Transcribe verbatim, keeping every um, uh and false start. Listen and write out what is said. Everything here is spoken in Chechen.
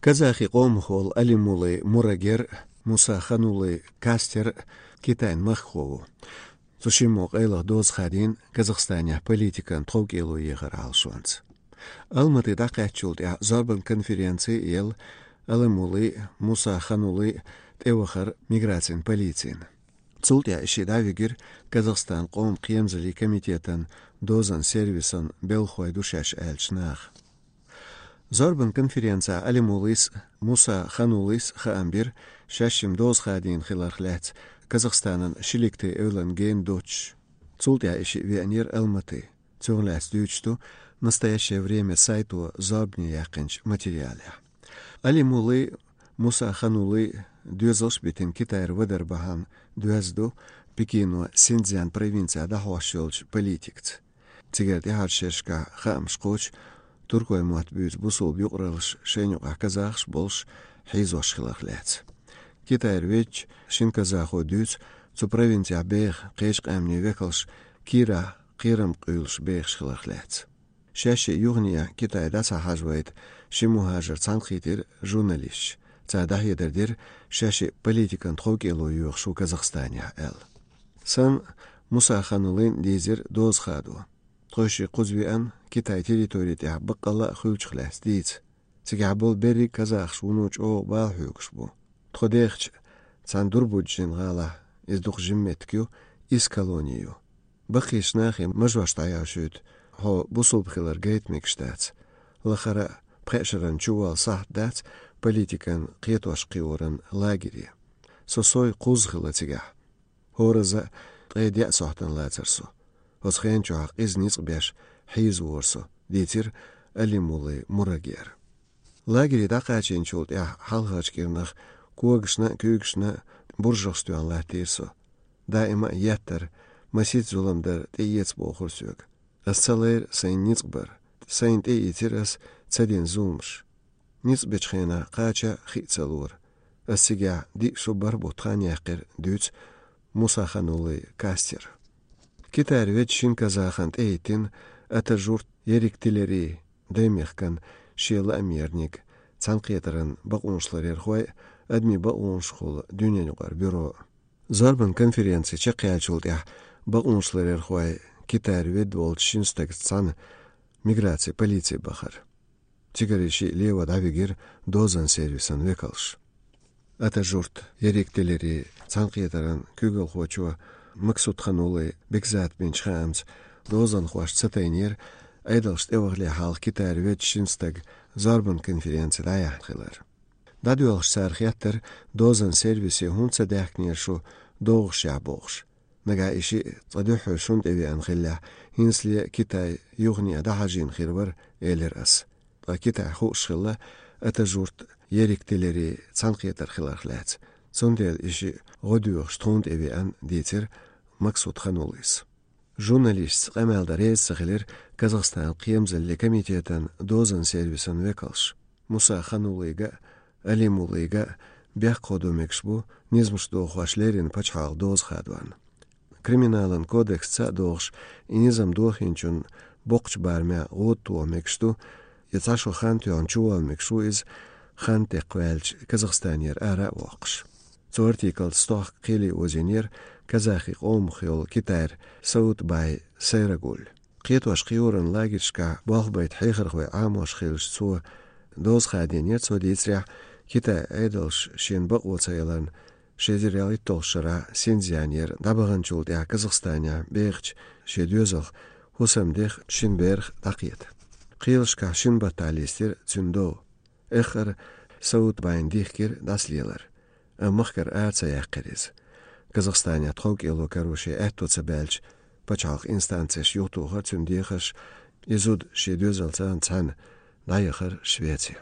Казахи къомах волу Алимулы Мурагер, Муса Ханулы Кастер Китайн махкахо ву. Цу шиммо къайлаха доза хадийна Казахстанехь политикан тховкӀело ехар Ӏалашонца. Алматы дӀакхаьчначул тӀаьхьа зорбан конференци елла Алимулы, Муса Ханулы тӀевахар миграцин полицина. Цул тӀаьхьа и шиъ дӀавигира Казахстан къоман кхерамзаллин комитетан дозан сервисан белхалой ду шаьш аьллачу наха. Зорбан конференцехь Алимулыс, Муса Ханулыс хаам бира шаьш шимма доза хадийна хиларх лаьцна Казахстанан Шиликты эвлан гена доцуш. Цул тӀаьхьа и шиъ веанера Алматы. Цунах лаьцна дуьйцуш ду «Настоящее время» сайто зорбане яьккхинчу материалехь. Алимулы, Муса Ханулы доьзалш а битина Китайра вадар бахьана доьзна ду Пекино Синьцзян провинцехь дӀахьош йолчу политикаца. Цигара тӀаьхьарчу шерашкахь хаамаш кхочу туркойн мотт буьйцу бусулба юкъараллаш, шайна юкъахь казахаш болуш, хьийзош хиларх лаьцна. Китайра веъча шина казахо дуьйцу цу провинцехь беха кхечу къаьмнийн векалш кийрахь кхерам къуьйлуш бехаш хиларх лаьцна. Шаьш шиъ юхане Китай дӀа ца хьажавайта ши мухӀажар цхьаьнакхийтира журналисташ. Цара дӀахьедар дира, шаьш шиъ политикан тховкӀело йоьхуш ву Казахстанехь аьлла. Санна, Муса Ханулын дийзира доза хадо. Тхойшиъ кхуза веана Китай территори тӀехь баккъалла а хуьлучух лаьцна дийца. Цигахь болу берриг казахаш вуно чӀогӀа бала хьоьгуш бу. Тхо дехча, цхьана Дурбуджин гӀалахь, иза дукха жима меттиг ю, исс колони ю. Баккхийчу нахе мажош дӀаяхьуьйту, хьо бусулба хилар гайта мегаш дац. Лахара а пхеа шаран чуволла сахьт дац политикан кхетош кхиоран лагере. Со сов кхузза хилла цигахь. ХӀоразза а ткъе деа сохьтана лацара со. Оцу хенан чохь къиза ницкъ беш хьийзавора со, дийцира Алимулы Мурагера. Лагере дӀакхачийначул тӀаьхьа хьалхарчу кӀирнах когашна а, куьйгашна а буржалш тоьхна латтийра со. Даима а еттар, масийтта зулам дар тӀеэца бохура соьга. Ас ца лайра сайн ницкъ бар. Сайна тӀеийцира ас ца дина зуламаш. Ницкъ бечу хенахь кхача хи а ца лора. Ас цигахь диъ шо бархӀ бутт хан яьккхира, дуьйцу Муса Ханулы Кастера. Китайра веъча шина казахана тӀехӀиттина Атажурт Ерик Тилери, даймехкан шен лаамерниг, цхьаьнакхетаран бакъонашларъярхой а, адамийн бакъонашкахула дуьненаюкъара бюро. Зорбан конференци чекхъяьллачул тӀаьхьа бакъонашларъярхой Китайра ведда волчу шина стагца цхьаьна миграцин полици бахара. Цигара и шиъ лево дӀавигира дозан сервисан векалш. Атажурт Ерик Тилери цхьаьнакхетаран куьйгалхочо Максуд Ханулы Бекзат бинчу хаамца, дозанхошна ца тайнера Ӏедалш тӀевахале хьалха Китайра веъча шина стага зорбан конференци дӀаяьхьна хилар. ДӀадоьлхуш цара хеттара, дозан сервисе хӀунда ца даьхкинера шу догӀушехь бохуш. Нагахь и шиъ цкъа дуьххьара шуна тӀе веана хиллехь, хӀинцале а Китай юхане дӀахьажийна хир вара, элира ас. Ткъа Китайхь хууш хилла Атажурт Ерик Тилери цхьаьнакхетар хиларх лаьцна. Цундела и шиъ гӀо доьхуш тхуна тӀе веана, дийцира Максуд Хануллис. Журналистца къамел дан реза ца хилира Казахстанан кхерамзаллин комитетан дозан сервисан векалш. Муса Хануллига а, Алимуллига а бехк хадо мегаш бу низамаш дохош леррина пачхьалкхан доза хадорна. Криминалан кодексца а догӀуш, и низам дохийначунна боккхачу барамехь гӀуда тоха мегаш ду, я цхьа шо хан тоьхна чуволла мегаш ву иза, хан текхваьлча Казахстанера ара а воккхуш. Цу артиклца стохка кхеле озийнера казахи къомах йолу Китайра Саутбай Сайрагуль. Кхетош кхиоран лагершкахь болх байта хьехархой Ӏамош хилча цо доза хадийнера, цо дийцарехь, Китайн Ӏедалш шена бакъо ца яларна, ши эзар ялхитталгӀачу шарахь Синьцзянера дӀабаханчул тӀаьхьа Казахстанехь бехачу шен доьзалх хӀусамдех шина берах дӀакхета. Кхелашкахь шина баттахь листира цуьнан дов. Эххар Саутбайн дихкира дӀасалелар, амма махкара ара ца яьккхира иза. Казахстанехь тховкӀело каро шен аьтто ца баьлча, пачхьалкхан инстанцеш юхатохара цуьнан дехарш, и зуда шен доьзалца цхьаьна дӀаяхара Швеци.